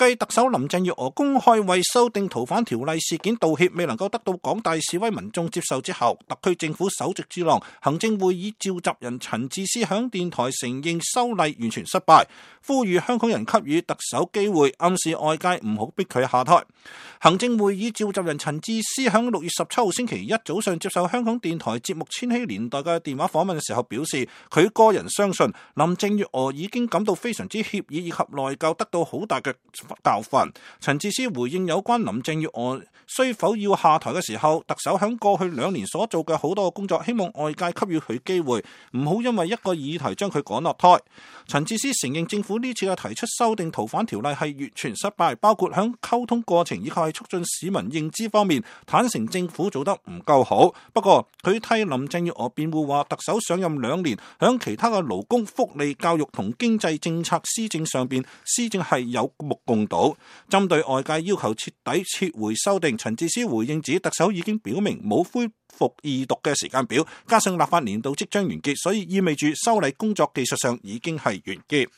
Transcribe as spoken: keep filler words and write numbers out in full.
繼特首林鄭月娥公開為修訂逃犯條例事件道歉未能夠得到廣大示威民眾接受之後，特區政府首席智囊行政會議召集人陳智思響電台承認修例完全失敗，呼籲香港人給予特首機會，暗示外界唔好逼佢下台。行政會議召集人陳智思響六月十七號星期一早上接受香港電台節目《千禧年代》嘅電話訪問嘅時候表示，佢個人相信林鄭月娥已經感到非常之歉意以及內疚得到好大嘅教訓。陳智思回應有關林鄭月娥需否要下台嘅時候，特首響過去兩年所做嘅好多工作，希望外界給予佢機會，唔好因為一個議題將佢趕落台。陳智思承認政府呢次嘅提出修訂逃犯條例係完全失敗，包括響溝通過程以及係促進市民認知方面，坦承政府做得唔夠好。不過佢替林鄭月娥辯護話，特首上任兩年，響其他嘅勞工、福利、教育同經濟政策施政上邊，施政係有目共睹。針對外界要求徹底撤回修訂，陳智思回應指特首已經表明冇恢復二讀嘅時間表，加上立法年度即將完結，所以意味住修例工作技術上已經係完結。